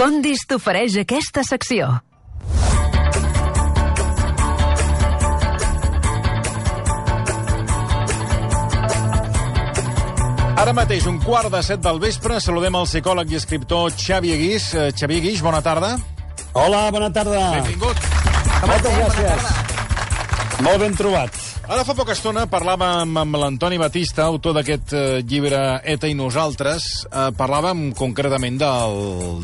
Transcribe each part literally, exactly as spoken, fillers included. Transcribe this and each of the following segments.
Condis t'ofereix aquesta secció. Ara mateix, un quart de set del vespre, saludem el psicòleg i escriptor Xavier Guix. Uh, Xavier Guix, bona tarda. Hola, bona tarda. Benvingut. Moltes gràcies. Molt ben trobat. Ara fa poca estona parlàvem amb l'Antoni Batista, autor d'aquest eh, llibre ETA i nosaltres. Eh, parlàvem concretament del,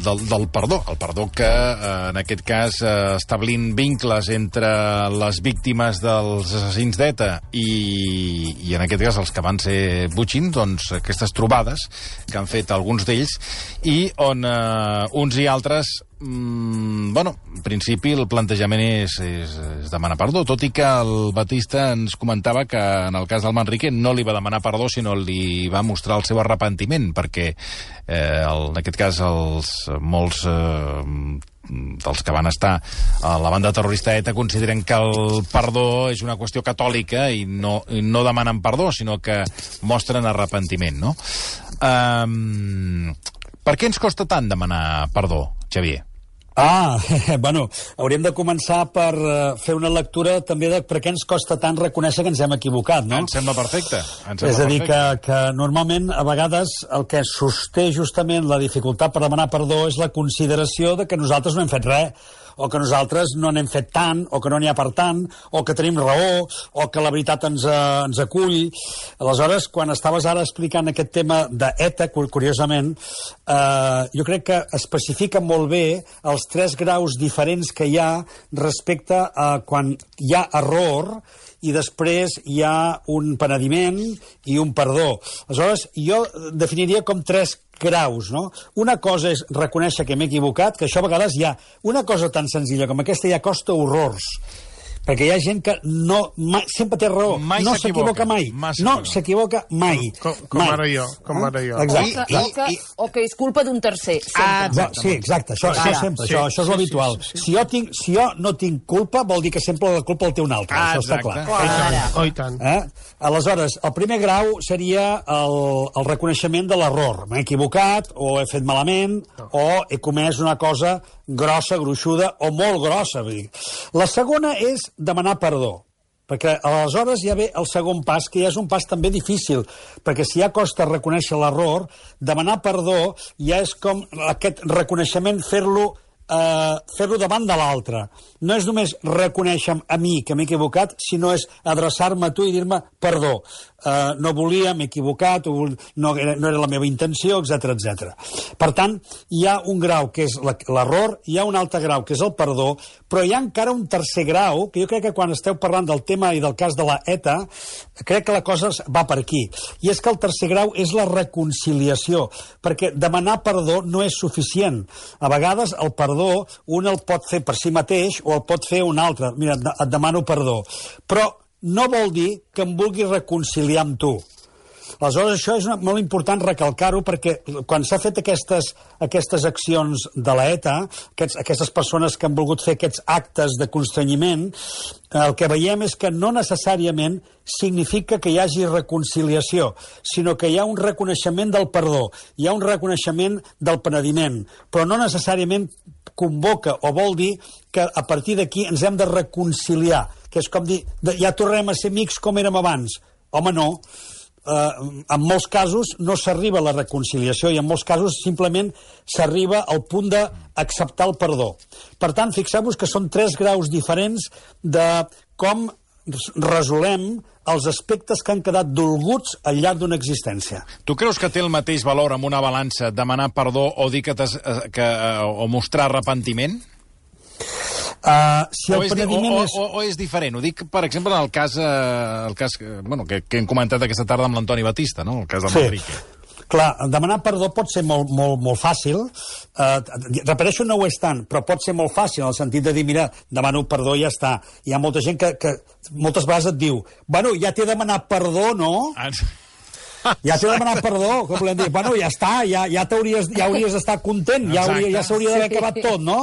del, del perdó. El perdó que, eh, en aquest cas, eh, establint vincles entre les víctimes dels assassins d'ETA i, i, en aquest cas, els que van ser butxins, doncs, aquestes trobades que han fet alguns d'ells, i on eh, uns i altres... Mm, bueno, en principi el plantejament és, és, és demanar perdó, tot i que el Batista ens comentava que en el cas del Manrique no li va demanar perdó, sinó li va mostrar el seu arrepentiment, perquè eh, el, en aquest cas els molts eh, dels que van estar a la banda terrorista ETA consideren que el perdó és una qüestió catòlica i no, i no demanen perdó, sinó que mostren arrepentiment, no? Um, per què ens costa tant demanar perdó, Xavier? Ah, bueno, hauríem de començar per uh, fer una lectura també de per què ens costa tant reconèixer que ens hem equivocat, no? Em sembla perfecte. Em sembla és a dir, perfecte. que, que normalment, a vegades, el que sosté justament la dificultat per demanar perdó és la consideració de que nosaltres no hem fet res, o que nosaltres no n'hem fet tant, o que no n'hi ha per tant, o que tenim raó, o que la veritat ens, uh, ens acull. Aleshores, quan estaves ara explicant aquest tema d'ETA, curiosament, eh, jo crec que especifica molt bé els tres graus diferents que hi ha respecte a quan hi ha error i després hi ha un penediment i un perdó. Aleshores, jo definiria com tres graus, no? Una cosa és reconèixer que m'he equivocat, que això a vegades hi ha una cosa tan senzilla com aquesta ja costa horrors. Perquè hi ha gent que no, mai, sempre té raó. Mai no s'equivoca mai. Massa no no. s'equivoca mai. Com, com mai. ara jo. Com ah? ara jo. Exacte. O que, o, que, o que és culpa d'un tercer. Ah, exacte. Sí, exacte. Això, això sempre. Sí, això, això és sí, l'habitual. sí, sí, sí. Si, jo tinc, si jo no tinc culpa, vol dir que sempre la culpa el té un altre. Ah, això exacte. està clar. Oh, i tant, oh, i tant. Eh? Aleshores, el primer grau seria el, el reconeixement de l'error. M'he equivocat, o he fet malament, no. o he comès una cosa grossa, gruixuda, o molt grossa. Vull dir. La segona és demanar perdó. Perquè aleshores ja ve el segon pas, que ja és un pas també difícil, perquè si ja costa reconèixer l'error, demanar perdó ja és com aquest reconeixement fer-lo eh, fer-lo davant de l'altre. No és només reconèixer a mi que m'he equivocat, sinó és adreçar-me a tu i dir-me perdó. Uh, no volia, m'he equivocat, no era, no era la meva intenció, etcètera, etcètera. Per tant, hi ha un grau que és l'error, hi ha un altre grau que és el perdó, però hi ha encara un tercer grau, que jo crec que quan esteu parlant del tema i del cas de la ETA, crec que la cosa va per aquí. I és que el tercer grau és la reconciliació, perquè demanar perdó no és suficient. A vegades el perdó un el pot fer per si mateix o el pot fer un altre. Mira, et demano perdó. Però no vol dir que em vulgui reconciliar amb tu. Aleshores, això és una, molt important recalcar-ho, perquè quan s'ha fet aquestes, aquestes accions de la ETA, aquests, aquestes persones que han volgut fer aquests actes de constrenyiment, el que veiem és que no necessàriament significa que hi hagi reconciliació, sinó que hi ha un reconeixement del perdó, hi ha un reconeixement del penediment, però no necessàriament convoca o vol dir que a partir d'aquí ens hem de reconciliar, que és com dir, ja tornem a ser amics com érem abans. Home, no. Uh, en molts casos no s'arriba a la reconciliació i en molts casos simplement s'arriba al punt d'acceptar el perdó. Per tant, fixeu-vos que són tres graus diferents de com resolem els aspectes que han quedat dolguts al llarg d'una existència. Tu creus que té el mateix valor amb una balança demanar perdó o dir que, que o mostrar arrepentiment? Uh, si o, el és, penediment o, és... o, o és diferent? Ho dic, per exemple, en el cas, eh, el cas bueno, que, que hem comentat aquesta tarda amb l'Antoni Batista, no? El cas del sí. Manrique. Clar, demanar perdó pot ser molt, molt, molt fàcil. Uh, repeteixo, no ho és tant, però pot ser molt fàcil, en el sentit de dir, mira, demano perdó i ja està. Hi ha molta gent que, que moltes vegades et diu, bueno, ja t'he demanat perdó, no? Ah, ja t'he demanat perdó, com volem dir, bueno, ja està, ja, ja t'hauries ja hauries d'estar content, ja, hauria, ja s'hauria d'haver acabat tot, no?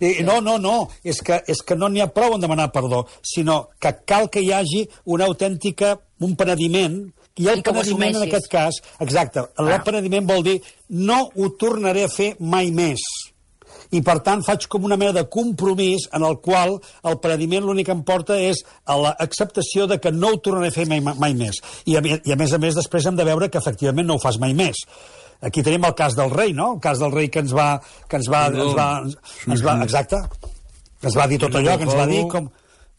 I, no, no, no, és que, és que no n'hi ha prou en demanar perdó, sinó que cal que hi hagi una autèntica, un penediment, i el I penediment en aquest cas, exacte, el ah. penediment vol dir no ho tornaré a fer mai més. I, per tant, faig com una mena de compromís en el qual el penediment l'únic que em porta és a l'acceptació de que no ho tornaré a fer mai, mai més. I a, I, a més a més, després hem de veure que, efectivament, no ho fas mai més. Aquí tenim el cas del rei, no? El cas del rei que ens va... Que ens va, ens va, ens va exacte. Ens va dir tot allò, que ens va dir com...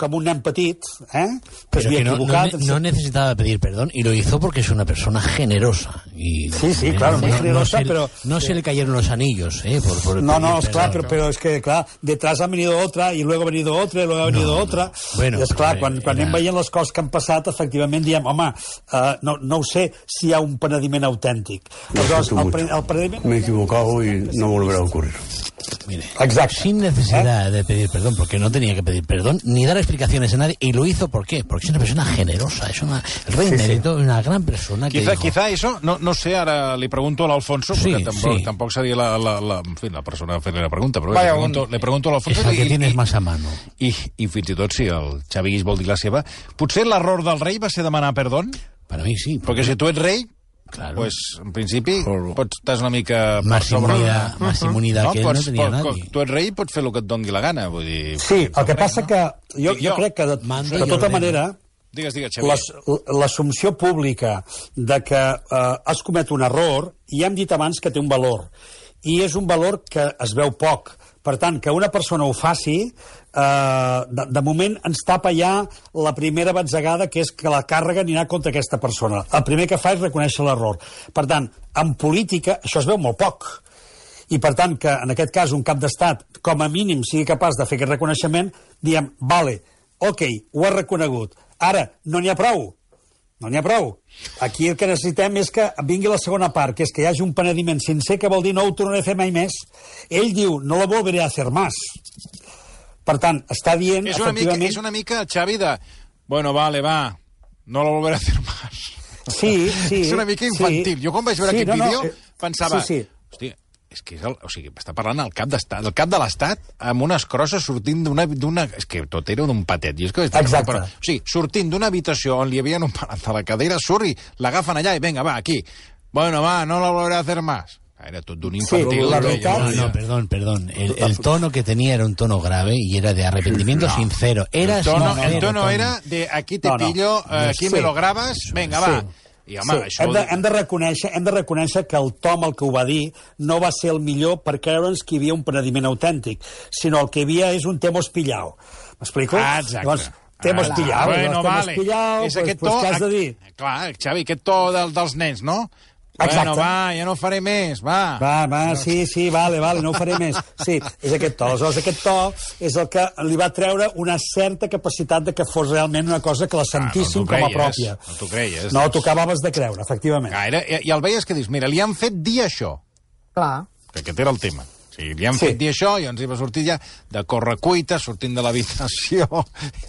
como un nen petit, ¿eh? que es había no, equivocado. No, no necesitaba pedir perdón y lo hizo porque es una persona generosa. Y, sí, sí, claro, muy generosa, no se, pero... No se le cayeron los anillos, ¿eh? Por, por no, no, es claro, pero, pero es que, claro, detrás ha venido otra y luego ha venido otra y luego ha venido no, otra. No. Bueno, I és clar, quan, quan era... anem veient les coses que han passat, efectivament diem, home, uh, no, no ho sé si hi ha un penediment autèntic. Aleshores, el, el penediment... Me he equivocado y no volverá a ocurrir. Mire, exacto. Sin necesidad ¿Eh? de pedir perdón, porque no tenía que pedir perdón, ni dar explicaciones a nadie, y lo hizo, ¿por qué? Porque es una persona generosa, es una, el rey sí, Emérito, sí. una gran persona que quizá, dijo... quizá eso, no, no sé, ara li pregunto a l'Alfonso, sí, perquè tampoc, sí. tampoc seria la, la, la, en fi, la persona a fer-li la pregunta, però Vaya, le, pregunto, le pregunto a l'Alfonso... És el que i, tienes i, más a mano. I, I fins i tot, si el Xavi Guix vol dir la seva, potser l'error del rei va ser demanar perdó? Para mí sí. Perquè si tu ets rei... Claro. Pues, en principi, pots, estàs una mica... Más inmunidad, uh -huh. más inmunidad no, que pots, no tenia pots, nadie. Tu ets rei i pots fer el que et doni la gana. Vull dir, sí, el que passa no? que jo, jo crec que, de, de tota manera, digues, digues, Xavier. L'assumpció pública de que eh, has comet un error, ja hem dit abans que té un valor. I és un valor que es veu poc. Per tant, que una persona ho faci, eh, de, de moment ens tapa ja la primera batzegada, que és que la càrrega anirà contra aquesta persona. El primer que fa és reconèixer l'error. Per tant, en política això es veu molt poc. I, per tant, que en aquest cas un cap d'estat, com a mínim, sigui capaç de fer aquest reconeixement, diem, vale, ok, ho ha reconegut. Ara, no n'hi ha prou. No n'hi ha prou. Aquí el que necessitem és que vingui la segona part, que és que hi hagi un penediment sincer, que vol dir no ho tornaré a fer mai més. Ell diu, no lo volveré a hacer más. Per tant, està dient, és una efectivament... Mica, és una mica, Xavi, de... Bueno, vale, va, no lo volveré a hacer más. Sí, sí. És una mica infantil. Sí. Jo quan vaig veure sí, aquest no, vídeo no, pensava... Sí, sí. Hòstia, és que és el, o sigui, està parlant el cap d'estat, el cap de l'estat amb unes crosses sortint d'una... És que tot era d'un patet. I és que Exacte. Però, o sigui, sortint d'una habitació on li havien operat a la cadira, surt i l'agafen allà i vinga, va, aquí. Bueno, va, no lo volveré a hacer más. Era tot d'un infantil. Sí, la veritat... No, no, perdón, perdón. El, el tono que tenía era un tono grave y era de arrepentimiento no. sincero. Era el tono, sincero, el tono era de aquí te no, no. pillo, eh, aquí sí. me lo grabas, vinga, va. Sí. I, home, sí, això... hem, de, hem, de reconèixer, hem de reconèixer que el Tom, el que ho va dir, no va ser el millor per creure'ns que hi havia un penediment autèntic, sinó el que hi havia és un temos pillao. M'explico? Ah, exacte. Llavors, temos ah, pillao. Bueno, temos vale. pillao, és pues, aquest pues, to... què has de dir? Clar, Xavi, aquest to del, dels nens, no? Exacte. Bueno, va, ja no faré més, va. Va, va, sí, sí, vale, vale, no ho faré més. Sí, és aquest to. Aleshores, aquest to és el que li va treure una certa capacitat de que fos realment una cosa que la sentissin ah, no com a pròpia. No t'ho creies. No, t'ho acabaves de creure, efectivament. Ah, era, i, I el veies que dius, mira, li han fet dir això. Clar. Que aquest era el tema. O sigui, li han sí. fet dir això i ens hi va sortir ja de correcuita, sortint de l'habitació.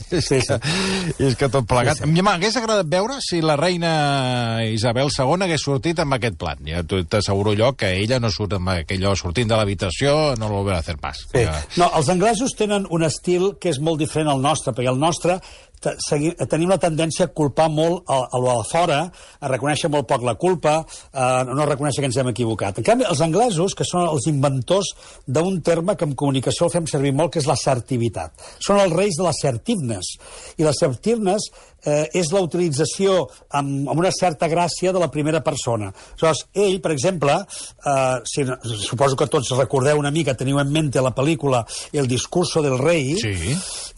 és, sí, que, sí. és que tot plegat. Sí, sí. M'hagués agradat veure si la reina Isabel segona hagués sortit amb aquest plat. Ja t'asseguro jo que ella no surt amb aquell sortint de l'habitació, no lo volverà a fer pas. Sí. No, els anglesos tenen un estil que és molt diferent al nostre, perquè el nostre tenim la tendència a culpar molt a, a lo de fora, a reconèixer molt poc la culpa, a no reconèixer que ens hem equivocat. En canvi, els anglesos, que són els inventors d'un terme que en comunicació el fem servir molt, que és l'assertivitat. Són els reis de l'assertiveness. I l'assertiveness eh, és la utilització amb, amb una certa gràcia de la primera persona. Aleshores, ell, per exemple, eh, si, suposo que tots recordeu una mica, teniu en mente la pel·lícula El discurso del rei, sí.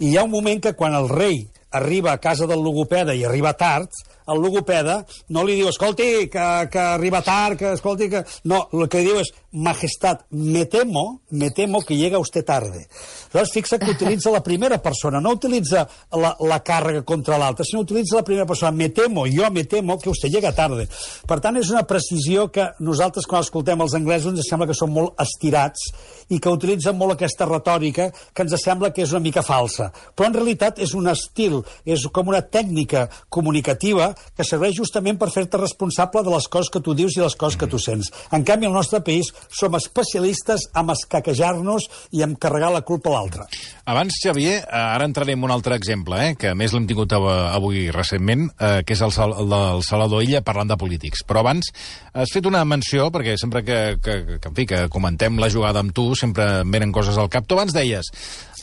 I hi ha un moment que quan el rei arriba a casa del logopeda i arriba tard, el logopeda no li diu, escolti, que, que arriba tard, que escolti, que... No, el que li diu és, majestat, me temo, me temo que llega usted tarde. Llavors, fixa que utilitza la primera persona, no utilitza la, la càrrega contra l'altra, sinó utilitza la primera persona. Me temo, jo me temo que usted llega tarde. Per tant, és una precisió que nosaltres, quan escoltem els anglesos, ens sembla que són molt estirats i que utilitzen molt aquesta retòrica que ens sembla que és una mica falsa. Però, en realitat, és un estil, és com una tècnica comunicativa que serveix justament per fer-te responsable de les coses que tu dius i les coses que tu sents. En canvi, al nostre país som especialistes en escaquejar-nos i en carregar la culpa a l'altre. Abans, Xavier, ara entraré en un altre exemple, eh, que a més l'hem tingut avui recentment, eh, que és el, Sal el del Salvador Illa parlant de polítics. Però abans has fet una menció, perquè sempre que, que, que, en fi, que comentem la jugada amb tu, sempre em venen coses al cap. Tu abans deies,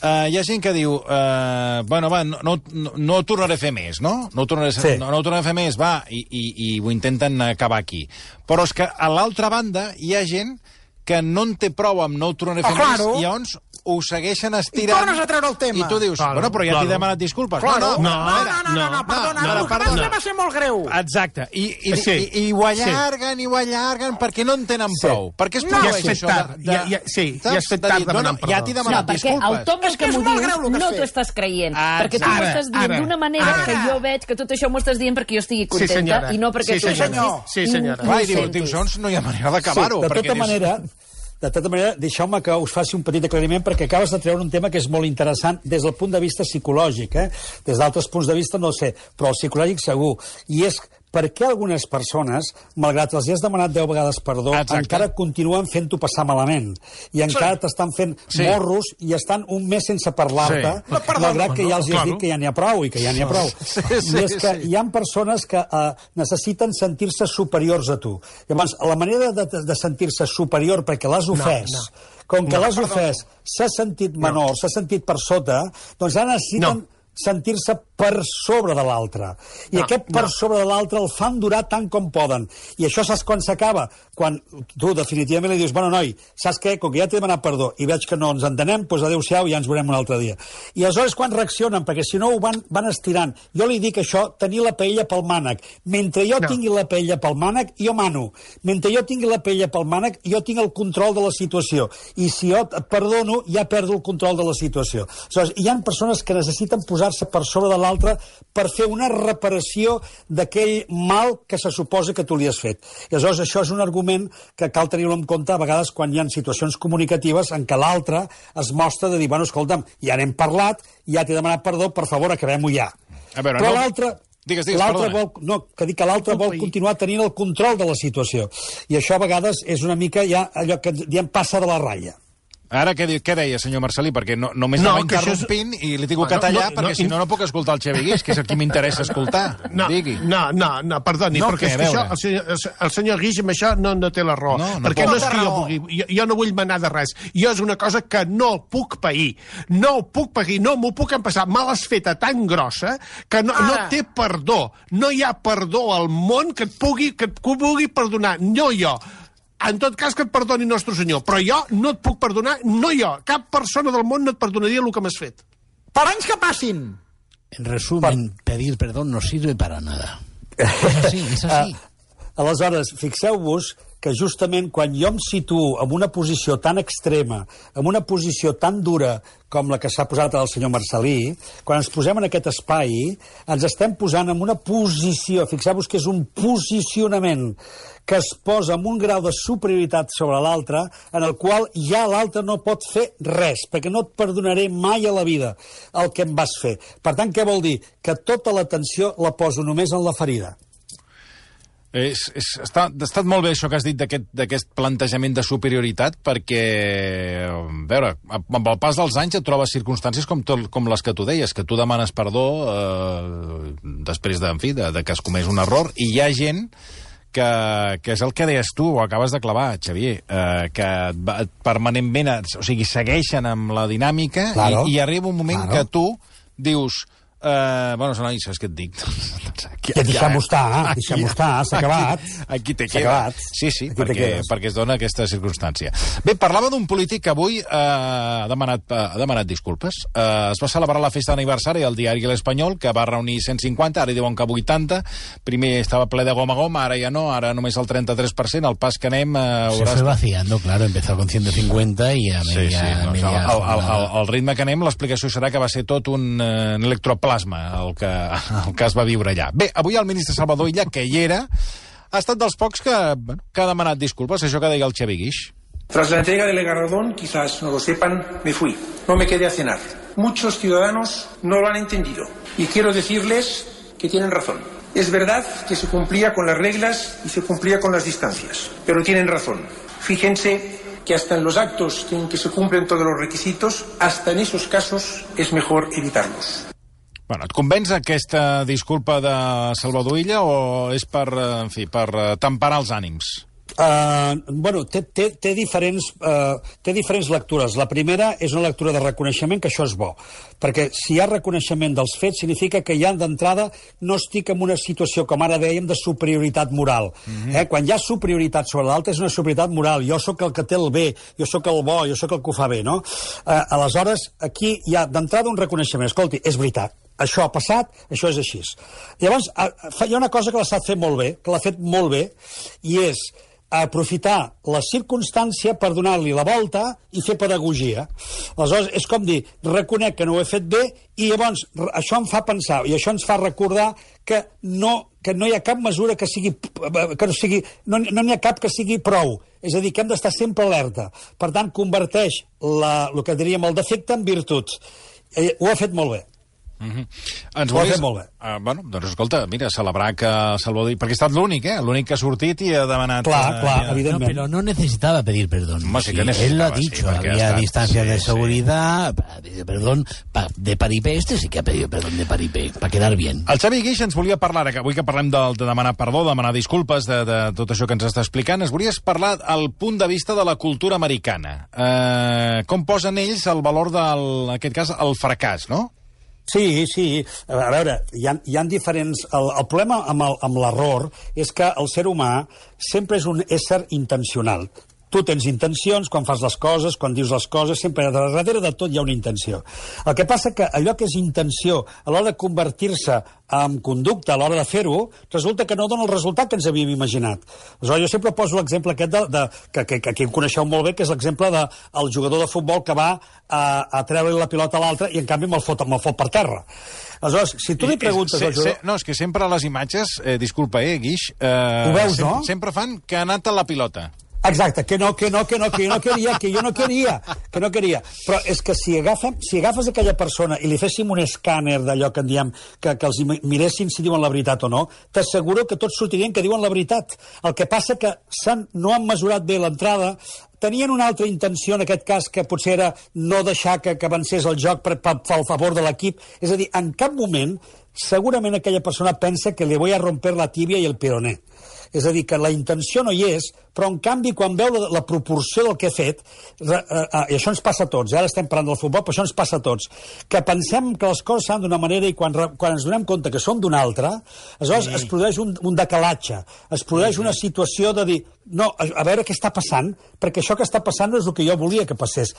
Uh, hi ha gent que diu, uh, bueno, va, no, no, no ho tornaré a fer més, no? No ho tornaré, sí. no, no ho tornaré a fer més, va, i, i, i ho intenten acabar aquí. Però és que a l'altra banda hi ha gent que no en té prou amb no ho tornaré a fer oh, més, claro. I llavors ho segueixen estirant. I tornes a treure el tema. I tu dius, claro, bueno, però ja claro. T'he demanat disculpes. Claro. No, no, no, no, no, no, no, perdona, no, no, no, no, va ser molt greu. Exacte. I, i, sí. i, i ho allarguen, sí. i ho allarguen, perquè no en tenen sí. prou. Per què es produeix no, ja això? De, de, ja, ja, sí, ja has fet tard demanant perdó. Ja t'he demanat no, disculpes. No, perquè el to que, que m'ho dius no t'ho estàs creient. Ah, perquè tu m'ho estàs dient d'una manera ara. Que jo veig que tot això m'ho estàs dient perquè jo estigui contenta sí, i no perquè sí, tu... Senyor. Sí, senyora. Va, i diu, diu, doncs no hi ha manera d'acabar-ho. De tota manera... De tota manera, deixeu-me que us faci un petit aclariment perquè acabes de treure un tema que és molt interessant des del punt de vista psicològic. Eh? Des d'altres punts de vista no ho sé, però el psicològic segur. I és per què algunes persones, malgrat els has demanat deu vegades perdó, exacte. Encara continuen fent-ho passar malament. I encara sí. T'estan fent sí. morros i estan un mes sense parlar-te, sí. malgrat que ja els has claro. Dit que ja n'hi ha prou i que ja n'hi ha prou. Sí, sí, I és que sí. hi ha persones que uh, necessiten sentir-se superiors a tu. Llavors, la manera de, de, de sentir-se superior perquè l'has ofès, no, no. com que no, l'has ofès, s'ha sentit menor, no. s'ha sentit per sota, doncs ara necessiten... No. sentir-se per sobre de l'altre. I no, aquest per no. sobre de l'altre el fan durar tant com poden. I això saps quan s'acaba? Quan tu definitivament li dius, bueno, noi, saps què? Com que ja t'he demanat perdó i veig que no ens entenem, doncs adéu-siau i ja ens veurem un altre dia. I aleshores quan reaccionen, perquè si no ho van, van estirant, jo li dic això, tenir la paella pel mànec. Mentre jo no. tingui la paella pel mànec, jo mano. Mentre jo tingui la paella pel mànec, jo tinc el control de la situació. I si jo et perdono, ja perdo el control de la situació. Aleshores, hi ha persones que necessiten posar posar-se per sobre de l'altre per fer una reparació d'aquell mal que se suposa que tu li has fet. I aleshores això és un argument que cal tenir-lo en compte a vegades quan hi ha situacions comunicatives en què l'altre es mostra de dir, bueno, escolta'm, ja n'hem parlat, ja t'he demanat perdó, per favor, acabem-ho ja. A veure, però no... l'altre... Digues, digues, l'altre vol, no, que dic que l'altre vol continuar tenint el control de la situació. I això a vegades és una mica ja allò que diem passa de la ratlla. Ara, què, què deia, senyor Marcelí? Perquè no, només no, anava interrompint és... i li tinc que tallar, no, no, perquè no, si no, no puc escoltar el Xavi Guix, que és el que m'interessa escoltar. No, Digui. no, no, no, perdoni, no, perquè què, és que això, el, senyor, el senyor Guix amb això no, no té la raó. No, no perquè no és que jo vulgui, jo, jo no vull manar de res. Jo és una cosa que no puc pair. No puc pair, no m'ho puc empassar. Me l'has feta tan grossa que no, no té perdó. No hi ha perdó al món que et pugui, que et pugui perdonar. No jo. En tot cas que et perdoni Nostre Senyor, però jo no et puc perdonar, no jo, cap persona del món no et perdonaria el que m'has fet. Per anys que passin. En resumen, per... pedir perdón no sirve para nada. És així, és així. Uh, aleshores, fixeu-vos que justament quan jo em situo en una posició tan extrema, en una posició tan dura com la que s'ha posat el senyor Marcelí, quan ens posem en aquest espai, ens estem posant en una posició, fixeu-vos que és un posicionament que es posa amb un grau de superioritat sobre l'altre, en el qual ja l'altre no pot fer res, perquè no et perdonaré mai a la vida el que em vas fer. Per tant, què vol dir? Que tota l'atenció la poso només en la ferida. És, és, està, ha estat molt bé això que has dit d'aquest plantejament de superioritat, perquè, a veure, amb el pas dels anys et trobes circumstàncies com, tot, com les que tu deies, que tu demanes perdó eh, després de, en fi, de, de que has comès un error, i hi ha gent que, que és el que deies tu, ho acabes de clavar, Xavier, eh, que permanentment, o sigui, segueixen amb la dinàmica, claro, i, i arriba un moment claro. Que tu dius... Uh, bueno, no, saps què et dic? Aquí, ja, deixem-ho estar, deixem-ho estar, s'ha acabat. Aquí, aquí te queda. Sí, sí, perquè, perquè es dona aquesta circumstància. Bé, parlava d'un polític que avui uh, ha, demanat, uh, ha demanat disculpes. Uh, es va celebrar la festa d'aniversari al diari L'Espanyol, que va reunir cent cinquanta, ara diuen que vuitanta. Primer estava ple de goma a goma, ara ja no, ara només el trenta-tres per cent, el pas que anem... Uh, Se fue vaciando, claro, empezó con ciento cincuenta i a media... Sí, sí, no, media el, el, el, el ritme que anem, l'explicació serà que va ser tot un, uh, un electropla el que, el que es va viure allà. Bé, avui el ministre Salvador Illa, que hi era, ha estat dels pocs que, bueno, que ha demanat disculpes, això que deia el Xavi Guix. Tras la entrega del galardón, quizás no lo sepan, me fui. No me quedé a cenar. Muchos ciudadanos no lo han entendido. Y quiero decirles que tienen razón. Es verdad que se cumplía con las reglas y se cumplía con las distancias, pero tienen razón. Fíjense que hasta en los actos en que se cumplen todos los requisitos, hasta en esos casos es mejor evitarlos. Bueno, et convenç aquesta disculpa de Salvador Illa o és per, en fi, per temperar els ànims? Uh, bueno, té, té, té, diferents, uh, té diferents lectures. La primera és una lectura de reconeixement, que això és bo, perquè si hi ha reconeixement dels fets significa que ja d'entrada no estic en una situació, com ara dèiem, de superioritat moral. Mm-hmm. eh? Quan hi ha superioritat sobre l'altre és una superioritat moral. Jo sóc el que té el bé, jo sóc el bo, jo sóc el que ho fa bé, no? Uh, aleshores, aquí hi ha d'entrada un reconeixement. Escolti, és veritat, això ha passat, això és així. Llavors, hi ha una cosa que l'ha estat fent molt bé, que l'ha fet molt bé, i és aprofitar la circumstància per donar-li la volta i fer pedagogia. Aleshores, és com dir, reconec que no ho he fet bé i llavors això em fa pensar i això ens fa recordar que no, que no hi ha cap mesura que sigui... Que no, sigui no, no n'hi ha cap que sigui prou. És a dir, que hem d'estar sempre alerta. Per tant, converteix la, el que diríem el defecte en virtut. Eh, ho ha fet molt bé. Mm-hmm. Ens ho volies... molt bé. Uh, bueno, doncs escolta, mira, celebrar que Salvador... Perquè ha estat l'únic, eh? L'únic que ha sortit i ha demanat... Clar, clar, uh, evidentment. No, pero no necesitaba pedir perdón. No, sí, sí, que él lo ha dicho, sí, había estat... distancias sí, de sí. seguridad, pedir perdón pa, de paripé. Este sí que ha pedido perdón de paripé, para quedar bien. El Xavi Guix ens volia parlar, que avui que parlem de, de demanar perdó, demanar disculpes, de, de tot això que ens està explicant, ens volies parlar al punt de vista de la cultura americana. Uh, com posen ells el valor del, en aquest cas, el fracàs, no? Sí, sí. A veure, hi ha, hi ha diferents... El, el problema amb el, amb l'error és que el ser humà sempre és un ésser intencional. Tu tens intencions quan fas les coses, quan dius les coses, sempre darrere de tot hi ha una intenció. El que passa que allò que és intenció a l'hora de convertir-se en conducta, a l'hora de fer-ho, resulta que no dona el resultat que ens havíem imaginat. Aleshores, jo sempre poso l'exemple aquest de, de, que, que, que aquí em coneixeu molt bé, que és l'exemple del jugador de futbol que va a, a treure la pilota a l'altre i en canvi me'l fot, me'l fot per terra. Aleshores, si tu li preguntes se, al jugador... Se, no, és que sempre les imatges, eh, disculpa, eh, Guix, eh, ho veus, sempre, no? sempre fan que ha anat a la pilota. Exacte, que no, que no, que no, que jo no queria, que jo no queria, que no queria. Però és que si, agafem, si agafes aquella persona i li féssim un escàner d'allò que en diem, que, que els miressin si diuen la veritat o no, t'asseguro que tots sortirien que diuen la veritat. El que passa que no han mesurat bé l'entrada, tenien una altra intenció, en aquest cas, que potser era no deixar que, que avancés el joc per, per, per favor de l'equip. És a dir, en cap moment, segurament aquella persona pensa que li voy a romper la tibia i el peroné. És a dir, que la intenció no hi és, però en canvi quan veu la, la proporció del que he fet, re, eh, i això ens passa a tots, eh? Ara estem parlant del futbol, però això ens passa a tots, que pensem que les coses s'han d'una manera i quan, quan ens donem compte que són d'una altra, aleshores sí. es produeix un, un decalatge, es produeix sí. una situació de dir, no, a, a veure què està passant, perquè això que està passant no és el que jo volia que passés.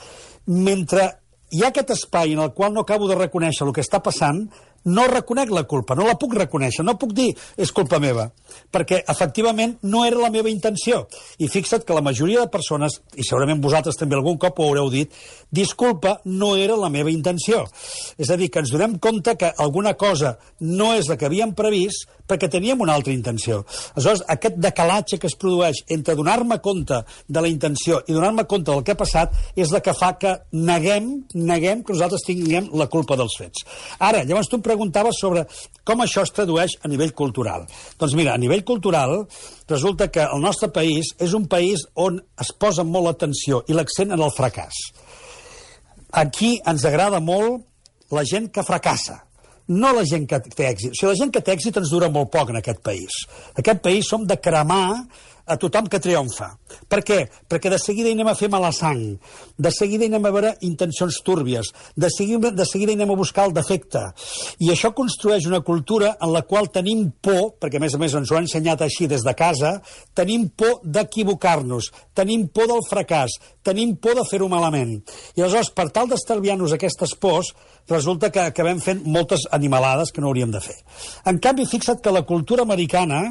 Mentre hi ha aquest espai en el qual no acabo de reconèixer el que està passant, no reconec la culpa, no la puc reconèixer, no puc dir és culpa meva, perquè efectivament no era la meva intenció. I fixa't que la majoria de persones, i segurament vosaltres també algun cop ho haureu dit, disculpa, no era la meva intenció. És a dir, que ens donem compte que alguna cosa no és la que havíem previst perquè teníem una altra intenció. Aleshores, aquest decalatge que es produeix entre donar-me compte de la intenció i donar-me compte del que ha passat és la que fa que neguem, neguem que nosaltres tinguem la culpa dels fets. Ara, llavors tu em preguntaves sobre com això es tradueix a nivell cultural. Doncs mira, a nivell cultural resulta que el nostre país és un país on es posa molt l'atenció i l'accent en el fracàs. Aquí ens agrada molt la gent que fracassa, no la gent que té èxit. O sigui, la gent que té èxit ens dura molt poc en aquest país. En aquest país som de cremar a tothom que triomfa. Per què? Perquè de seguida hi anem a fer mala sang, de seguida hi anem a veure intencions túrbies, de seguida, de seguida hi anem a buscar el defecte. I això construeix una cultura en la qual tenim por, perquè a més a més ens ho han ensenyat així des de casa, tenim por d'equivocar-nos, tenim por del fracàs, tenim por de fer-ho malament. I aleshores, per tal d'estalviar-nos aquestes pors, resulta que acabem fent moltes animalades que no hauríem de fer. En canvi, fixa't que la cultura americana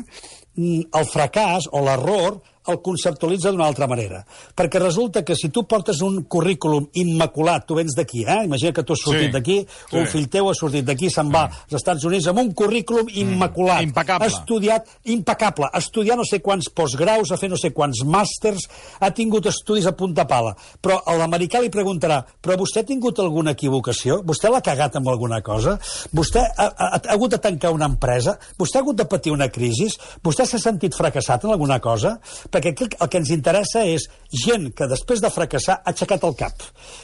el fracàs o l'error el conceptualitza d'una altra manera. Perquè resulta que si tu portes un currículum immaculat, tu vens d'aquí, eh? Imagina que tu has sortit sí, d'aquí, sí. un fill teu ha sortit d'aquí, se'n va sí. als Estats Units amb un currículum immaculat. Mm, impecable. Ha estudiat, impecable, ha estudiat no sé quants postgraus, ha fet no sé quants màsters, ha tingut estudis a punta pala. Però a l'americà li preguntarà, però vostè ha tingut alguna equivocació? Vostè l'ha cagat amb alguna cosa? Vostè ha, ha, ha hagut de tancar una empresa? Vostè ha hagut de patir una crisi? Vostè s'ha sentit fracassat en alguna cosa? Perquè aquí el que ens interessa és gent que després de fracassar ha aixecat el cap.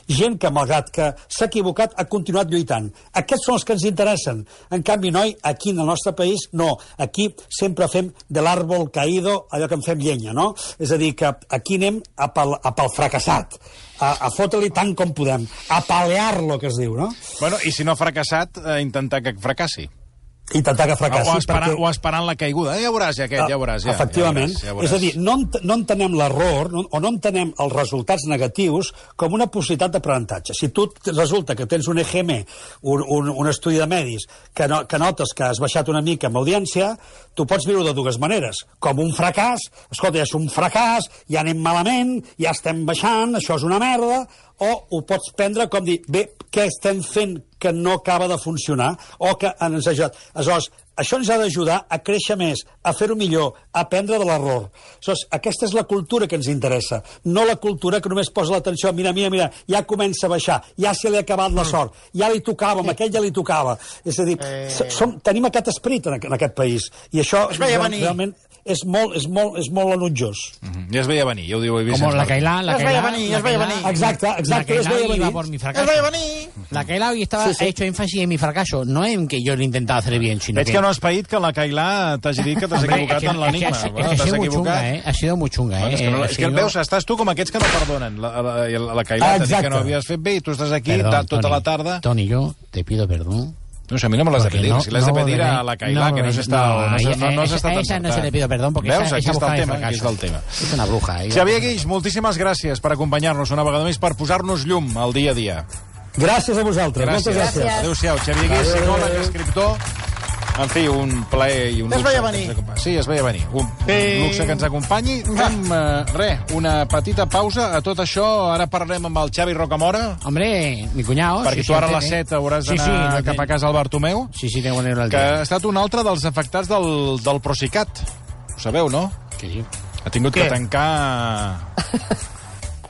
Gent que, malgrat que s'ha equivocat, ha continuat lluitant. Aquests són els que ens interessen. En canvi, noi, aquí en el nostre país, no. Aquí sempre fem de l'àrbol caído allò que en fem llenya, no? És a dir, que aquí anem a pel, a pel fracassat. A, a fotre-li tant com podem. A palear-lo, que es diu, no? Bueno, i si no ha fracassat, eh, intentar que fracassi. Intentar que fracassi. O esperant, perquè... o esperant la caiguda. Eh, ja veuràs, ja aquest, ja veuràs. Ja, Efectivament. Ja veuràs, ja veuràs. És a dir, no, ent no entenem l'error no, o no entenem els resultats negatius com una possibilitat d'aprenentatge. Si tu resulta que tens un E G M, un, un, un estudi de medis, que, no, que notes que has baixat una mica amb audiència, tu pots viure de dues maneres. Com un fracàs, escolta, ja és un fracàs, ja anem malament, ja estem baixant, això és una merda, o ho pots prendre com dir, bé, què estem fent que no acaba de funcionar, o que ens ha ajudat. Aleshores, això ens ha d'ajudar a créixer més, a fer-ho millor, a aprendre de l'error. Aleshores, aquesta és la cultura que ens interessa, no la cultura que només posa l'atenció, mira, mira, mira, ja comença a baixar, ja se li ha acabat la sort, ja li tocava, amb aquell ja li tocava. És a dir, eh... som, tenim aquest esperit en, en aquest país, i això realment és molt, és molt, és molt enutjós. Mm-hmm. Ja es veia venir, ja ho diu Vicent. Com la Cailà, la es veia venir, es veia venir. Exacte, exacte, es veia venir. Por mi fracaso. Es veia venir. La Cailà hoy estaba, sí, sí. ha hecho énfasis en mi fracaso, no en que yo lo intentaba hacer bien, sino Veig que... que no has paït que la Cailà t'hagi dit que t'has equivocat en l'enigma. Es que ha sido muy chunga, eh? Ha sido muy chunga, eh? És que, no, és que veus, estàs tu com aquests que no perdonen. La, la, la, la Cailà t'ha dit que no havies fet bé i tu estàs aquí Perdón, tota Toni, la tarda... Toni, yo te pido perdón. No sé, a mi no me l'has de pedir. No, si l'has no de pedir volveré, a la Cailà, no que no s'està no, no, no, no, esa, esa no se le pido perdón porque Veus? esa, Aquí esa està el tema, fracaso. aquí està el tema. És una bruja. Eh? Xavier Guix, moltíssimes gràcies per acompanyar-nos una vegada més, per posar-nos llum al dia a dia. Gràcies a vosaltres. Gràcies. Moltes gràcies. Adéu-siau. Xavier Guix, psicòleg, escriptor... En fi, un plaer i un luxe. Es veia venir. Sí, es veia venir. Un sí. luxe que ens acompanyi. Fem, uh, res, una petita pausa. A tot això, ara parlarem amb el Xavi Rocamora. Hombre, mi cuñado. Perquè sí, tu ara sí, a les set hauràs sí, d'anar sí, no cap a casa al Bartomeu. Sí, sí, tengo que venir al que dia. ha estat un altre dels afectats del, del Procicat. Ho sabeu, no? Que sí. Ha tingut Què? que tancar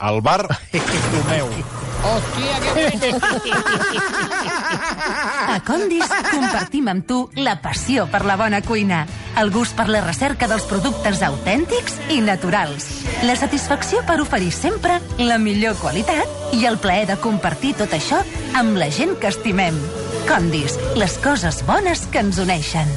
el bar Bartomeu. Hòstia, que A Condis compartim amb tu la passió per la bona cuina, el gust per la recerca dels productes autèntics i naturals, la satisfacció per oferir sempre la millor qualitat i el plaer de compartir tot això amb la gent que estimem. Condis, les coses bones que ens uneixen.